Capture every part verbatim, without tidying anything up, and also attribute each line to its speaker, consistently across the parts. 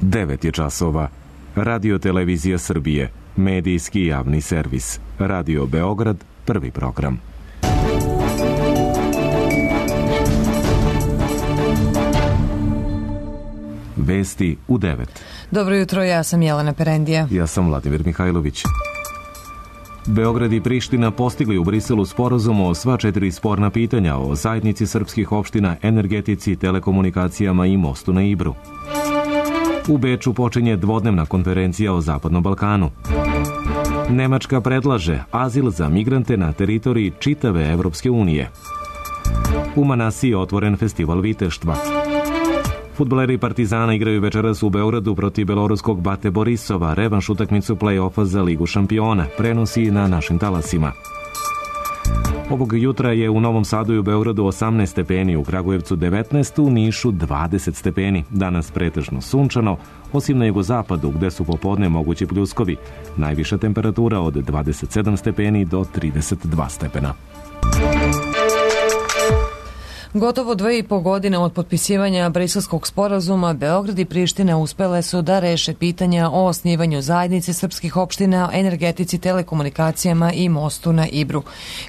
Speaker 1: devet je časova. Radio Televizija Srbije, medijski javni servis. Radio Beograd, prvi program. Vesti u devet.
Speaker 2: Dobro jutro, ja sam Jelena Perendija.
Speaker 1: Ja sam Vladimir Mihajlović. Beograd i Priština postigli u Briselu sporazum o sva četiri sporna pitanja o zajednici srpskih opština, energetici, telekomunikacijama i mostu na Ibru. U Beču počinje dvodnevna konferencija o Zapadnom Balkanu. Nemačka predlaže azil za migrante na teritoriji čitave Evropske unije. U Manasiji je otvoren festival viteštva. Fudbaleri Partizana igraju večeras u Beogradu protiv beloruskog Bate Borisova, revanš utakmicu play-offa za Ligu šampiona, prenosi na našim talasima. Ovog jutra je u Novom Sadu i u Beogradu osamnaest stepeni, u Kragujevcu devetnaest, u Nišu dvadeset stepeni. Danas pretežno sunčano, osim na jugozapadu gde su popodne mogući pljuskovi. Najviša temperatura od dvadeset sedam stepeni do trideset dva stepena.
Speaker 2: Gotovo dve i po godine od potpisivanja Briselskog sporazuma, Beograd i Priština uspele su da reše pitanja o osnivanju zajednice srpskih opština, energetici, telekomunikacijama i mostu na Ibru.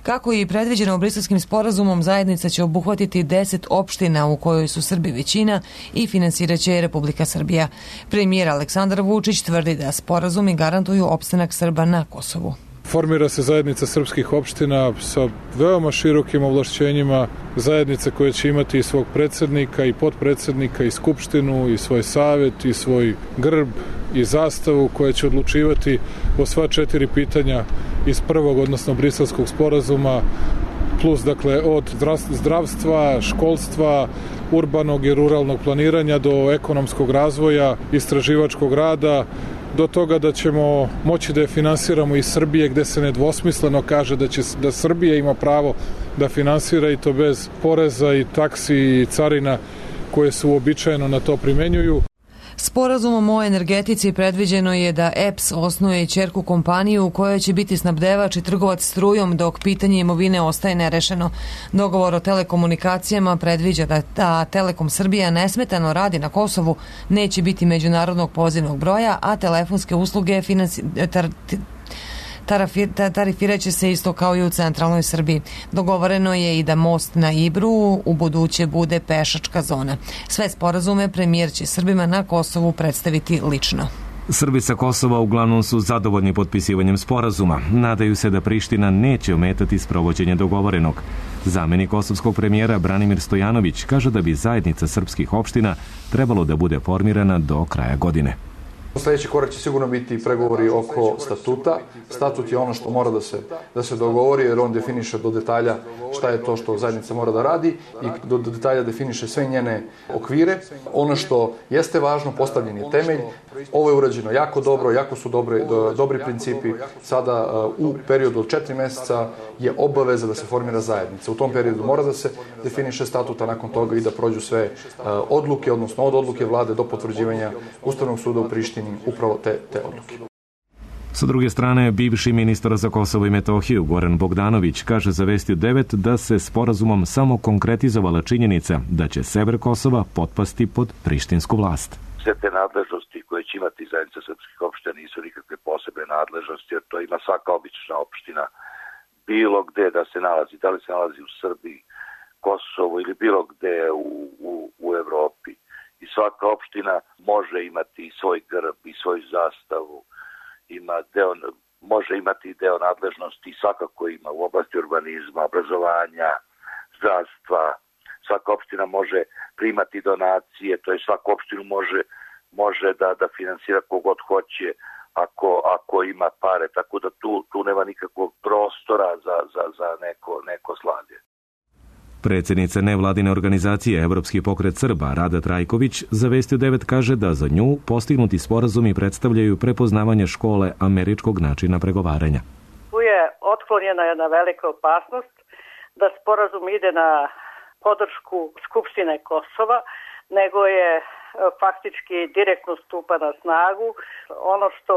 Speaker 2: Kako i predviđeno Briselskim sporazumom, zajednica će obuhvatiti deset opština u kojoj su Srbi većina i finansiraće Republika Srbija. Premijer Aleksandar Vučić tvrdi da sporazumi garantuju opstanak Srba na Kosovu.
Speaker 3: Formira se zajednica srpskih opština sa veoma širokim ovlašćenjima, zajednice koje će imati i svog predsednika i potpredsednika i skupštinu i svoj savet i svoj grb i zastavu, koja će odlučivati o sva četiri pitanja iz prvog, odnosno Briselskog sporazuma, plus dakle od zdravstva, školstva, urbanog i ruralnog planiranja do ekonomskog razvoja, istraživačkog rada, do toga da ćemo moći da je finansiramo iz Srbije, gde se nedvosmisleno kaže da će da Srbija ima pravo da finansira, i to bez poreza i taksi i carina koje se uobičajeno na to primenjuju.
Speaker 2: Sporazumom o energetici predviđeno je da E P S osnuje ćerku kompaniju u kojoj će biti snabdevač i trgovac strujom, dok pitanje imovine ostaje nerešeno. Dogovor o telekomunikacijama predviđa da ta Telekom Srbija nesmetano radi na Kosovu, neće biti međunarodnog pozivnog broja, a telefonske usluge finansi... tar... tarifirat će se isto kao i u centralnoj Srbiji. Dogovoreno je i da most na Ibru u buduće bude pešačka zona. Sve sporazume premijer će Srbima na Kosovu predstaviti lično.
Speaker 1: Srbi sa Kosova uglavnom su zadovoljni potpisivanjem sporazuma. Nadaju se da Priština neće ometati sprovođenje dogovorenog. Zamenik kosovskog premijera Branimir Stojanović kaže da bi zajednica srpskih opština trebalo da bude formirana do kraja godine.
Speaker 4: Sljedeći korak će sigurno biti pregovori oko statuta. Statut je ono što mora da se, da se dogovori, jer on definiše do detalja šta je to što zajednica mora da radi i do detalja definiše sve njene okvire. Ono što jeste važno, postavljen je temelj. Ovo je urađeno jako dobro, jako su dobre, do, dobri principi. Sada u periodu od četiri meseca je obaveza da se formira zajednica. U tom periodu mora da se definiše statut, a nakon toga i da prođu sve odluke, odnosno od odluke vlade do potvrđivanja Ustavnog suda u Prištini, upravo te, te odluke.
Speaker 1: Sa druge strane, bivši ministar za Kosovo i Metohiju Goran Bogdanović kaže za Vesti u devet da se sporazumom samo konkretizovala činjenica da će sever Kosova potpasti pod prištinsku vlast.
Speaker 5: Sve te nadležnosti koje će imati zajednica srpskih opština nisu nikakve posebne nadležnosti, jer to ima svaka obična opština bilo gde da se nalazi, da li se nalazi u Srbiji, Kosovo ili bilo gde u, u, u Evropi. I svaka opština može imati svoj grb i svoju zastavu, ima deo, može imati deo nadležnosti i svakako ima u oblasti urbanizma, obrazovanja, zdravstva. Svaka opština može primati donacije, to je svaku opštinu može, može da, da finansira kogod hoće ako, ako ima pare, tako da tu, tu nema nikakvog prostora za, za, za neko, neko slavlje.
Speaker 1: Predsjednica nevladine organizacije Evropski pokret Srba Rada Trajković za Vesti u devet kaže da za nju postignuti sporazumi predstavljaju prepoznavanje škole američkog načina pregovaranja.
Speaker 6: Tu je otklonjena jedna velika opasnost da sporazum ide na podršku Skupštine Kosova, nego je faktički direktno stupa na snagu. Ono što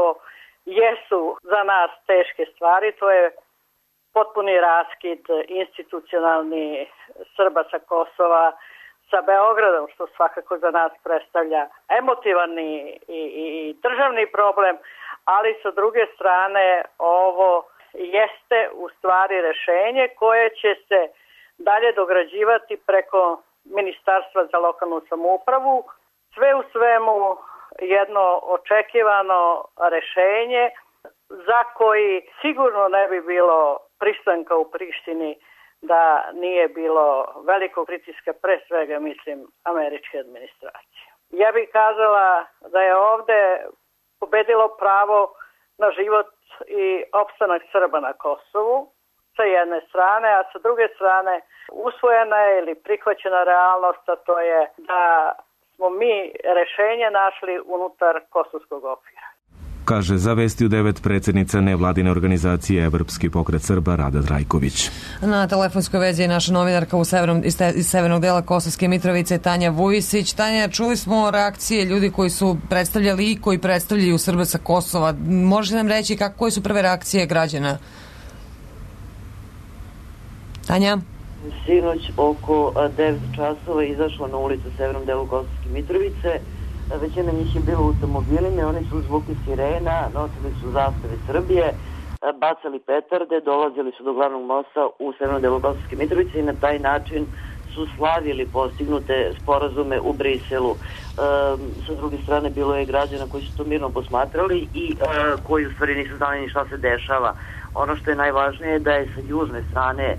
Speaker 6: jesu za nas teške stvari, to je potpuni raskid institucionalni Srba sa Kosova sa Beogradom, što svakako za nas predstavlja emotivan i, i, i državni problem, ali sa druge strane ovo jeste u stvari rešenje koje će se dalje dograđivati preko Ministarstva za lokalnu samoupravu. Sve u svemu jedno očekivano rešenje za koji sigurno ne bi bilo pristanka u Prištini da nije bilo velikog pritiska, pre svega mislim američke administracije. Ja bih kazala da je ovde pobedilo pravo na život i opstanak Srba na Kosovu sa jedne strane, a sa druge strane usvojena je ili prihvaćena realnost, a to je da smo mi rešenje našli unutar kosovskog okvira.
Speaker 1: Kaže za Vesti u devet predsjednica nevladine organizacije Evropski pokret Srba Rada Trajković.
Speaker 2: Na telefonskoj vezi je naša novinarka u severnom, iz, te, iz severnog dela Kosovske Mitrovice Tanja Vujisić. Tanja, čuli smo reakcije ljudi koji su predstavljali i koji predstavljaju Srbe sa Kosova. Možete nam reći kako, koje su prve reakcije građana? Tanja?
Speaker 7: Sinoć oko devet časova izašlo na ulicu u severnom delu Kosovske Mitrovice. Većina njih je bilo u automobilima, oni su zvuki sirena, nosili su zastave Srbije, bacali petarde, dolazili su do glavnog mosta u severnom delu Kosovske Mitrovice i na taj način su slavili postignute sporazume u Briselu. E, sa druge strane bilo je građana koji su to mirno posmatrali i e, koji u stvari nisu znali ni šta se dešava. Ono što je najvažnije je da je sa južne strane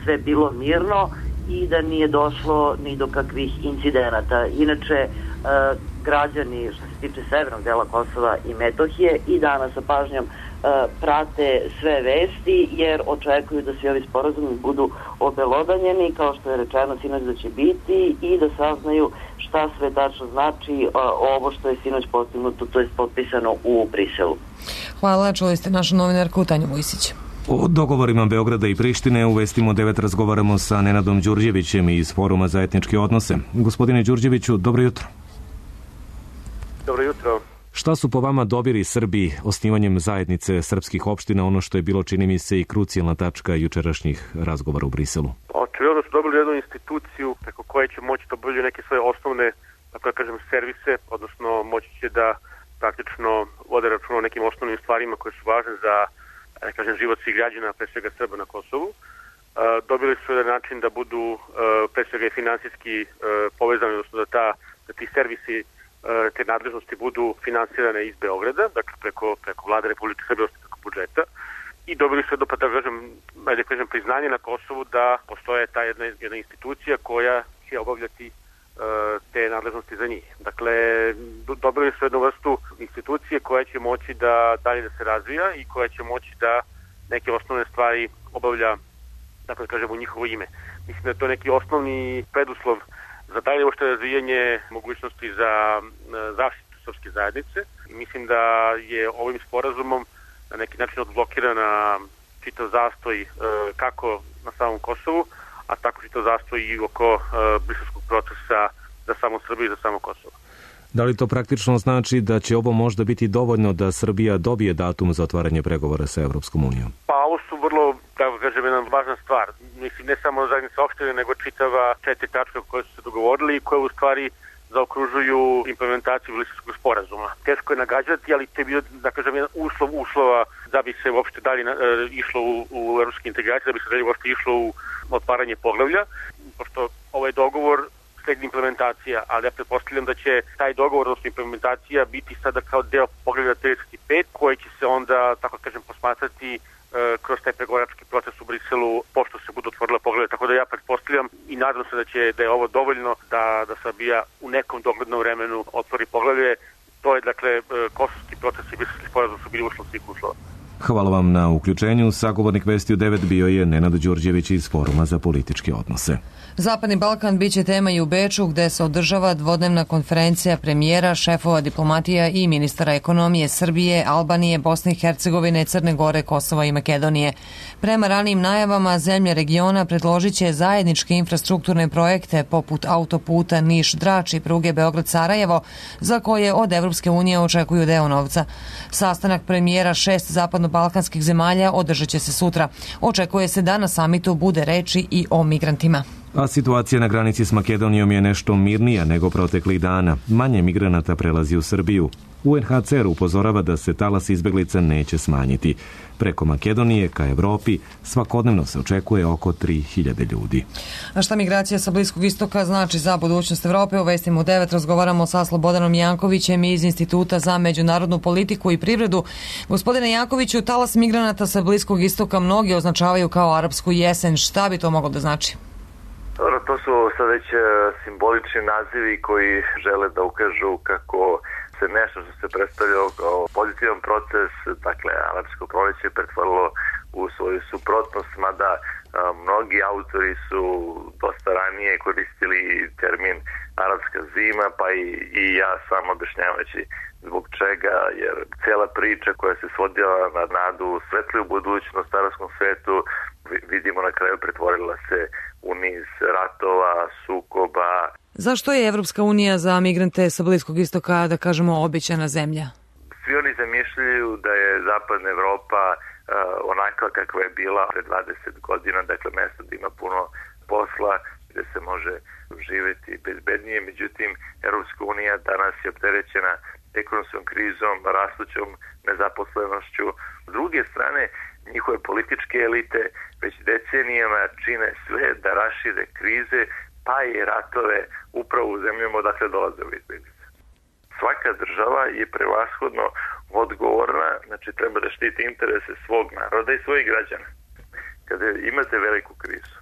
Speaker 7: sve bilo mirno i da nije došlo ni do kakvih incidenata. Inače, e, građani što se tiče severnog dela Kosova i Metohije i danas sa pažnjom e, prate sve vesti jer očekuju da svi ovi sporazumi budu obelodanjeni kao što je rečeno sinoć da će biti i da saznaju šta sve tačno znači e, ovo što je sinoć postignuto, to je potpisano u Briselu.
Speaker 2: Hvala, čuli ste našu novinarku Tanju Vujisić.
Speaker 1: O dogovorima Beograda i Prištine u Vestima devet razgovaramo sa Nenadom Đurđevićem iz Foruma za etničke odnose. Gospodine Đurđeviću, dobro jutro.
Speaker 8: Dobro jutro.
Speaker 1: Šta su po vama dobili Srbi osnivanjem zajednice srpskih opština, ono što je bilo, čini mi se, i krucijalna tačka jučerašnjih razgovora u Briselu?
Speaker 8: Očigledno su dobili jednu instituciju preko koje će moći da obavljaju neke svoje osnovne, tako da kažem, servise, odnosno moći će da praktično vode računa o nekim osnovnim stvarima koje su važne za, da kažem, život svih građana, pre svega Srba na Kosovu. Dobili su jedan način da budu pre svega i finansijski povezani, odnosno da, ta, da ti servisi, te nadležnosti budu finansirane iz Beograda, dakle preko, preko vlade Republike Srbije, preko budžeta. I dobili su jedno, pa da kažem, ajde kažem, priznanje na Kosovu da postoje ta jedna, jedna institucija koja će obavljati te nadležnosti za njih. Dakle, dobili su jednu vrstu institucije koja će moći da dalje da se razvija i koja će moći da neke osnovne stvari obavlja, dakle, kažem, u njihovo ime. Mislim da je to neki osnovni preduslov za dalje uopšte razvijanje mogućnosti za zaštitu srpske zajednice. I mislim da je ovim sporazumom na neki način odblokirana čitav zastoj kako na samom Kosovu, a tako čitav zastoj i oko briselskog procesa za samo Srbiju i za samo Kosovo.
Speaker 1: Da li to praktično znači da će ovo možda biti dovoljno da Srbija dobije datum za otvaranje pregovora sa Evropskom unijom?
Speaker 8: Pa ovo su vrlo, da kažem, jedna važna stvar. Mislim, ne samo zajednica opštine, nego čitava četiri tačka koje su se dogovorili i koje u stvari zaokružuju implementaciju Briselskog sporazuma. Teško je nagađati, ali to je bio, da kažem, jedan uslov uslova da bi se uopšte dalje e, išlo u, u evropske integracije, da bi se dalje uopšte išlo u otvaranje poglavlja, pošto ovaj dogovor sledi implementacija, ali ja pretpostavljam da će taj dogovor, odnosno implementacija, biti sada kao deo poglavlja trideset pet, koji će se onda, tako kažem, posmatrati e, kroz taj pregovarački proces u Briselu, pošto se budu otvorila poglavlja. Tako da ja pretpostavljam i nadam se da će da je ovo dovoljno da, da Srbija u nekom doglednom vremenu otvori poglavlje. To je, dakle, kosovski proces i briselski sporazum su bili uslov svih uslova.
Speaker 1: Hvala vam na uključenju. Sagovornik Vesti u devet bio je Nenad Đurđević iz Foruma za političke odnose.
Speaker 2: Zapadni Balkan biće tema i u Beču, gde se održava dvodnevna konferencija premijera, šefova diplomatija i ministara ekonomije Srbije, Albanije, Bosne i Hercegovine, Crne Gore, Kosova i Makedonije. Prema ranijim najavama, zemlje regiona predložit će zajedničke infrastrukturne projekte poput autoputa Niš-Drač i pruge Beograd-Sarajevo, za koje od Evropske unije očekuju deo novca. Sastanak premijera šest zapadno-balkanskih zemalja održat će se sutra. Očekuje se da na samitu bude reči i o migrantima.
Speaker 1: A situacija na granici s Makedonijom je nešto mirnija nego proteklih dana. Manje migranata prelazi u Srbiju. U en ha ce er upozorava da se talas izbeglica neće smanjiti. Preko Makedonije ka Evropi svakodnevno se očekuje oko tri hiljade ljudi.
Speaker 2: A šta migracija sa Bliskog istoka znači za budućnost Evrope? U Vestima u devet razgovaramo sa Slobodanom Jankovićem iz Instituta za međunarodnu politiku i privredu. Gospodine Jankoviću, talas migranata sa Bliskog istoka mnogi označavaju kao arapsku jesen. Šta bi to moglo da znači?
Speaker 9: Dobro, to su sad već simbolični nazivi koji žele da ukažu kako se nešto što se predstavljalo kao pozitivan proces, dakle, arapsko proleće pretvorilo u svoju suprotnost, mada a, mnogi autori su dosta ranije koristili termin arapska zima, pa i, i ja sam objašnjavajući zbog čega, jer cijela priča koja se svodila na nadu svetliju budućnost arapskom svetu, vidimo na kraju pretvorila se u niz ratova, sukoba.
Speaker 2: Zašto je Evropska unija za migrante sa Bliskog istoka, da kažemo, obećana zemlja?
Speaker 9: Svi oni zamišljaju da je zapadna Evropa uh, onakva kakva je bila pre dvadeset godina, dakle mesto da ima puno posla, gde se može živjeti bezbednije. Međutim, Evropska unija danas je opterećena ekonomskom krizom, rastućom nezaposlenošću. S druge strane, njihove političke elite već decenijama čine sve da rašire krize, pa i ratove upravo u zemljama odakle dolaze ove izbjeglice. Svaka država je prevashodno odgovorna, znači treba da štiti interese svog naroda i svojih građana. Kada imate veliku krizu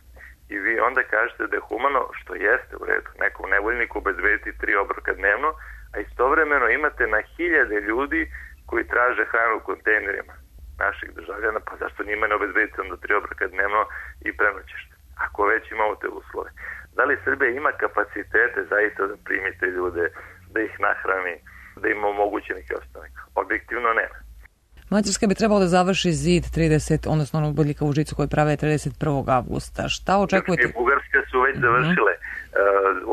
Speaker 9: i vi onda kažete da je humano, što jeste u redu, nekom nevoljniku obezbediti tri obroka dnevno, a istovremeno imate na hiljade ljudi koji traže hranu u kontejnerima naših državljana, pa zašto njima ne obezbediti onda tri obroka dnevno i prenoćište, ako već imamo te uslove. Da li Srbija ima kapacitete zaista da primite ljude, da ih nahrani, da im omogući neki ostanak? Objektivno nema.
Speaker 2: Mađarska bi trebalo da završi zid trideset, odnosno onog bodljika u žicu koji prave trideset prvog avgusta. Šta očekujete?
Speaker 9: Grčka i Bugarska su već završile uh,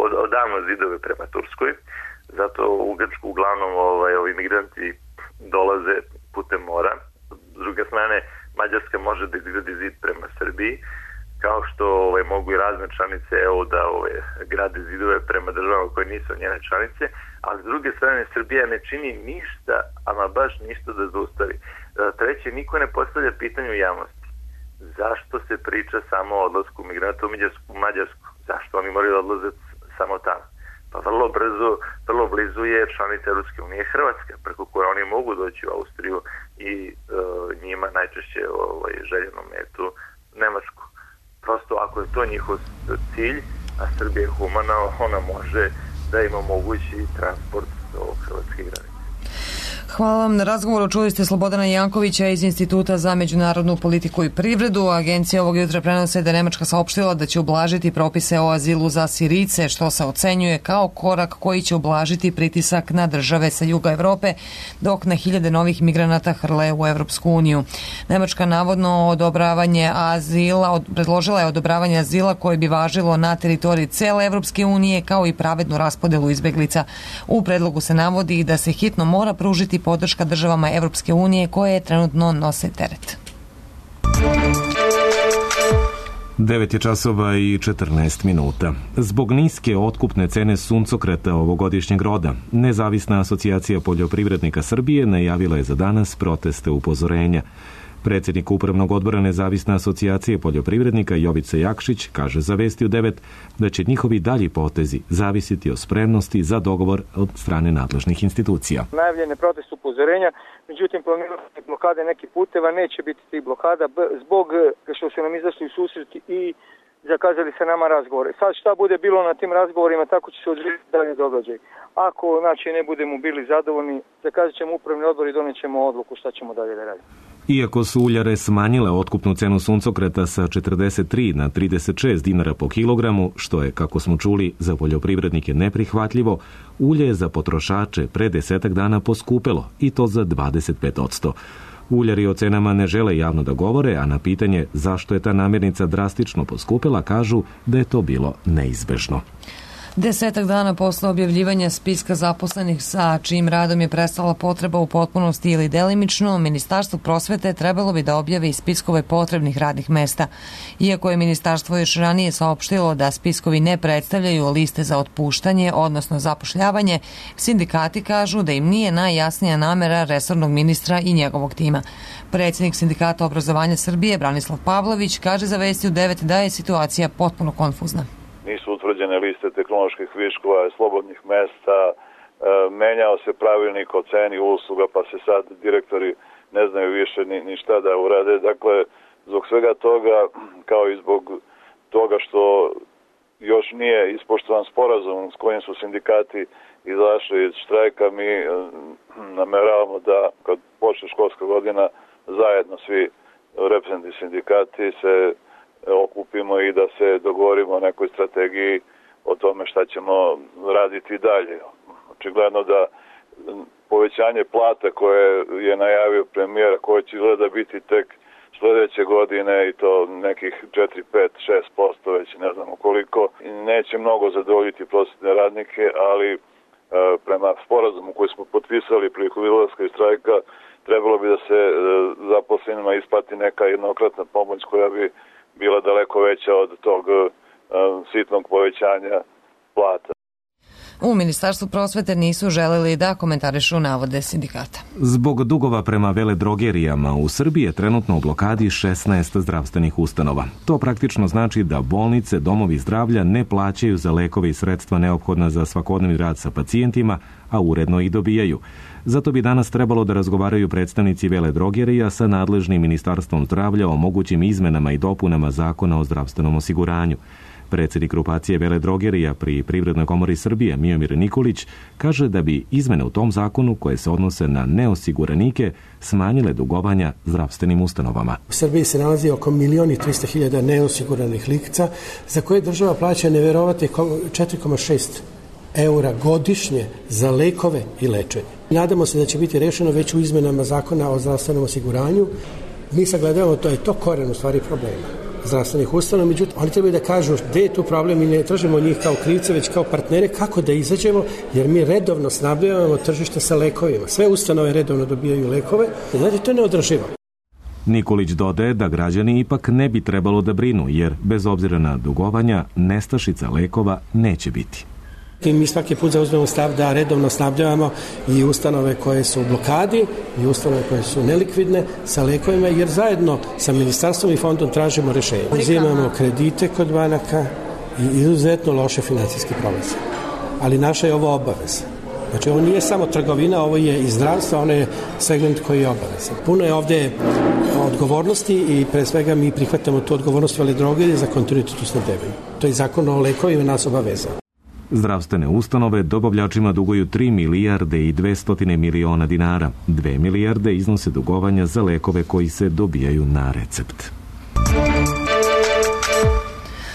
Speaker 9: od, odavno zidove prema Turskoj, zato u Grčku uglavnom ovaj, ovi migranti dolaze putem mora. S druge strane, Mađarska može da izgradi zid prema Srbiji, kao što ovaj, mogu i razne članice E U da ovaj, grade zidove prema državama koje nisu njene članice, ali s druge strane Srbija ne čini ništa, ama baš ništa da zaustavi. Treće, niko ne postavlja pitanje u javnosti. Zašto se priča samo o odlasku migranta u Mađarsku? Zašto oni moraju da odlaze samo tamo? Pa vrlo brzo, vrlo blizu je članica Europske unije Hrvatska, preko koje oni mogu doći u Austriju i e, njima najčešće ovaj, željenu metu Nemačku. Prosto ako je to njihov cilj, a Srbija je humana, ona može da im omogući transport do hrvatske granice.
Speaker 2: Hvala vam na razgovoru. Čuli ste Slobodana Jankovića iz Instituta za međunarodnu politiku i privredu. Agencija ovog jutra prenose da je Nemačka saopštila da će ublažiti propise o azilu za Sirijce, što se ocenjuje kao korak koji će ublažiti pritisak na države sa juga Evrope, dok na hiljade novih migranata hrle u Evropsku uniju. Nemačka navodno odobravanje azila, predložila je odobravanje azila koje bi važilo na teritoriji cele Evropske unije, kao i pravednu raspodelu izbeglica. U predlogu se navodi da se hitno mora pružiti podrška državama Evropske unije koje trenutno nose teret.
Speaker 1: devet je časova i četrnaest minuta. Zbog niske otkupne cene suncokreta ovogodišnjeg roda, Nezavisna asocijacija poljoprivrednika Srbije najavila je za danas proteste upozorenja. Predsjednik Upravnog odbora Nezavisne asocijacije poljoprivrednika Jovica Jakšić kaže za Vesti u devet da će njihovi dalji potezi zavisiti o spremnosti za dogovor od strane nadležnih institucija.
Speaker 10: Najavljene protest upozorenja, međutim planirane blokade nekih puteva neće biti tih blokada zbog što su nam izašli u susret i zakazali se nama razgovore. Sad šta bude bilo na tim razgovorima, tako će se odvijeti dalje događaj. Ako znači ne budemo bili zadovoljni, zakazat ćemo upravni odbor i donijet ćemo odluku šta ćemo dalje da radimo.
Speaker 1: Iako su uljare smanjile otkupnu cenu suncokreta sa četrdeset tri na trideset šest dinara po kilogramu, što je, kako smo čuli, za poljoprivrednike neprihvatljivo, ulje je za potrošače pre desetak dana poskupelo, i to za dvadeset pet posto. Uljari o cenama ne žele javno da govore, a na pitanje zašto je ta namirnica drastično poskupela kažu da je to bilo neizbežno.
Speaker 2: Desetak dana posle objavljivanja spiska zaposlenih sa čijim radom je prestala potreba u potpunosti ili delimično, Ministarstvo prosvete trebalo bi da objavi spiskove potrebnih radnih mesta. Iako je ministarstvo još ranije saopštilo da spiskovi ne predstavljaju liste za otpuštanje, odnosno zapošljavanje, sindikati kažu da im nije najjasnija namera resornog ministra i njegovog tima. Predsjednik Sindikata obrazovanja Srbije, Branislav Pavlović, kaže za Vesti u devet da je situacija potpuno konfuzna.
Speaker 11: Nisu utvrđene liste tehnoloških viškova, slobodnih mesta, e, menjao se pravilnik o ceni usluga, pa se sad direktori ne znaju više ni, ni šta da urade. Dakle, zbog svega toga, kao i zbog toga što još nije ispoštovan sporazum s kojim su sindikati izašli iz štrajka, mi e, nameravamo da kad počne školska godina zajedno svi reprezentativni sindikati se okupimo i da se dogovorimo o nekoj strategiji o tome šta ćemo raditi dalje. Očigledno da povećanje plata koje je najavio premijer, koje će izgleda biti tek sljedeće godine i to nekih četiri, pet, šest posto, već ne znamo koliko, neće mnogo zadovoljiti prosvetne radnike, ali e, prema sporazumu koji smo potpisali prilikom izlaska iz štrajka, trebalo bi da se e, zaposlenima isplati neka jednokratna pomoć koja bi bila daleko veća od tog uh, sitnog povećanja plata.
Speaker 2: U Ministarstvu prosvete nisu želeli da komentarišu navode sindikata.
Speaker 1: Zbog dugova prema veledrogerijama u Srbiji je trenutno u blokadi šesnaest zdravstvenih ustanova. To praktično znači da bolnice, domovi zdravlja ne plaćaju za lekove i sredstva neophodna za svakodnevni rad sa pacijentima, a uredno ih dobijaju. Zato bi danas trebalo da razgovaraju predstavnici veledrogerija sa nadležnim Ministarstvom zdravlja o mogućim izmenama i dopunama Zakona o zdravstvenom osiguranju. Predsjednik grupacije veledrogerija pri Privrednoj komori Srbije, Miomir Nikolić, kaže da bi izmene u tom zakonu koje se odnose na neosiguranike smanjile dugovanja zdravstvenim ustanovama.
Speaker 12: U Srbiji se nalazi oko milion i trista hiljada neosiguranih lica za koje država plaća neverovatnih četiri zarez šest eura godišnje za lekove i lečenje. Nadamo se da će biti rešeno već u izmenama Zakona o zdravstvenom osiguranju. Mi sagledavamo to je to koren u stvari problema zdravstvenih ustanova, međutim, oni trebaju da kažu gde je tu problem i ne tražimo njih kao krivce, već kao partnere kako da izađemo, jer mi redovno snabdevamo tržište sa lekovima. Sve ustanove redovno dobijaju lekove, znači to je neodrživo.
Speaker 1: Nikolić dodaje da građani ipak ne bi trebalo da brinu, jer bez obzira na dugovanja, nestašica lekova neće biti.
Speaker 12: Mi svaki put zauzmemo stav da redovno snabdevamo i ustanove koje su u blokadi i ustanove koje su nelikvidne sa lekovima, jer zajedno sa ministarstvom i fondom tražimo rešenje. Uzimamo kredite kod banaka i izuzetno loše financijske prolaze. Ali naša je ovo obaveza. Znači ovo nije samo trgovina, ovo je i zdravstvo, ono je segment koji je obavezan. Puno je ovde odgovornosti i pre svega mi prihvatamo tu odgovornost veledrogerije za kontinuitet u snabdevanju. To je zakon o lekovima nas obaveza.
Speaker 1: Zdravstvene ustanove dobavljačima duguju tri milijarde i dvesta miliona dinara. dve milijarde iznose dugovanja za lekove koji se dobijaju na recept.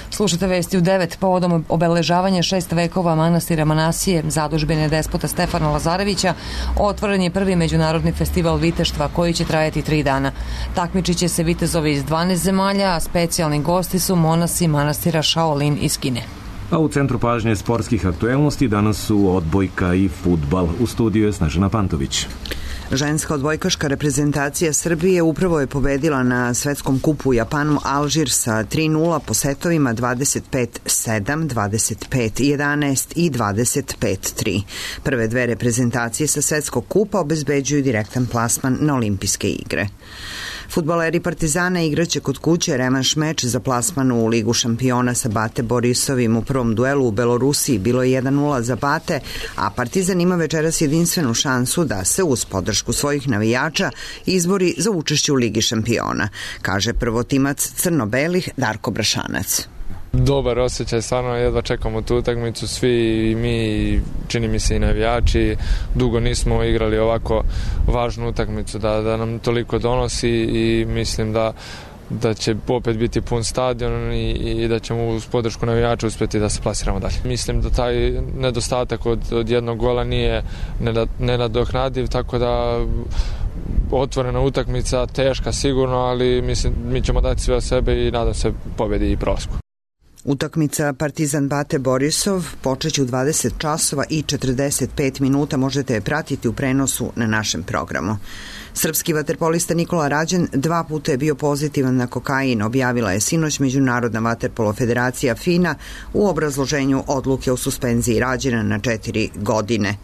Speaker 2: Slušate Vesti u devet. Povodom obeležavanja šest vekova manastira Manasije, zadužbine despota Stefana Lazarevića, otvoren je prvi međunarodni festival viteštva koji će trajati tri dana. Takmičit će se vitezovi iz dvanaest zemalja, a specijalni gosti su monasi manastira Shaolin iz Kine.
Speaker 1: A u centru pažnje sportskih aktuelnosti danas su odbojka i fudbal. U studiju je Snežana Pantović.
Speaker 13: Ženska odbojkaška reprezentacija Srbije upravo je pobedila na svetskom kupu u Japanu Alžir sa tri nula po setovima dvadeset pet sedam, dvadeset pet jedanaest i dvadeset pet tri. Prve dve reprezentacije sa svetskog kupa obezbeđuju direktan plasman na olimpijske igre. Fudbaleri Partizana igraće kod kuće revanš meč za plasman u Ligu šampiona sa Bate Borisovim. U prvom duelu u Belorusiji bilo je jedan nula za Bate, a Partizan ima večeras jedinstvenu šansu da se uz podršku svojih navijača izbori za učešće u Ligi šampiona, kaže prvotimac crno-belih Darko Brašanac.
Speaker 14: Dobar osjećaj, stvarno jedva čekamo tu utakmicu, svi i mi, čini mi se i navijači, dugo nismo igrali ovako važnu utakmicu da, da nam toliko donosi i mislim da da će opet biti pun stadion i, i da ćemo uz podršku navijača uspjeti da se plasiramo dalje. Mislim da taj nedostatak od, od jednog gola nije nenadoknadiv, tako da otvorena utakmica, teška sigurno, ali mislim mi ćemo dati sve od sebe i nadam se pobjedi i prolasku.
Speaker 13: Utakmica Partizan Bate Borisov počeće u dvadeset časova i četrdeset pet minuta, možete je pratiti u prenosu na našem programu. Srpski vaterpolista Nikola Rađen dva puta je bio pozitivan na kokain, objavila je sinoć Međunarodna vaterpolo federacija FINA u obrazloženju odluke o suspenziji Rađena na četiri godine.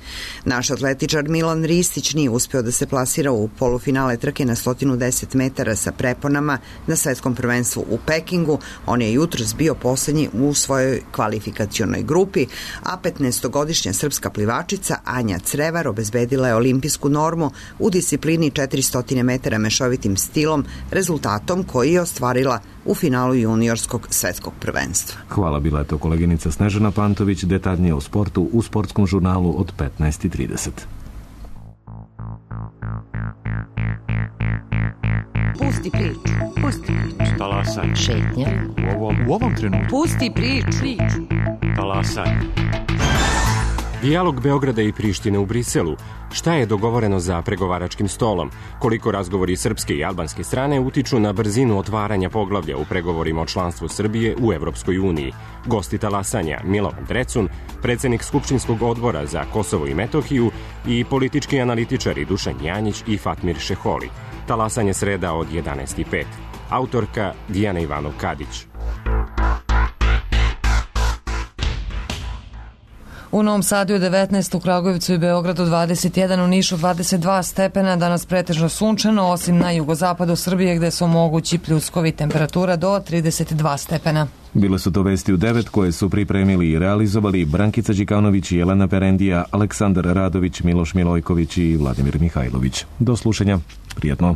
Speaker 13: Naš atletičar Milan Ristić nije uspeo da se plasira u polufinale trke na sto deset metara sa preponama na svetskom prvenstvu u Pekingu. On je jutros bio poslednji u svojoj kvalifikacionoj grupi, a petnaestogodišnja srpska plivačica Anja Crevar obezbedila je olimpijsku normu u disciplini četiristo metara mešovitim stilom, rezultatom koji je ostvarila u finalu juniorskog svetskog prvenstva.
Speaker 1: Hvala, bila je to koleginica Snežana Pantović, detaljnije o sportu u sportskom žurnalu od petnaest i trideset.
Speaker 15: Pusti priču, pusti priču.
Speaker 16: Talasaj.
Speaker 15: Šetnja.
Speaker 16: U ovom, u ovom trenutku.
Speaker 15: Pusti priču. priču.
Speaker 16: Talasaj.
Speaker 17: Dijalog Beograda i Prištine u Briselu. Šta je dogovoreno za pregovaračkim stolom? Koliko razgovori srpske i albanske strane utiču na brzinu otvaranja poglavlja u pregovorima o članstvu Srbije u Evropskoj uniji? Gosti talasanja Milovan Drecun, predsednik Skupštinskog odbora za Kosovo i Metohiju i politički analitičari Dušan Janjić i Fatmir Šeholi. Talasanje sreda od jedanaest i pet. Autorka Dijana Ivanov-Kadić.
Speaker 2: U Novom Sadu je devetnaest, u Kragujevcu i Beogradu dvadeset jedan, u Nišu dvadeset dva stepena, danas pretežno sunčano, osim na jugozapadu Srbije gde su mogući pljuskovi, temperatura do trideset dva stepena.
Speaker 1: Bile su to vesti u devet koje su pripremili i realizovali Brankica Đikanović i Jelena Perendija, Aleksandar Radović, Miloš Milojković i Vladimir Mihajlović. Do slušanja. Prijetno.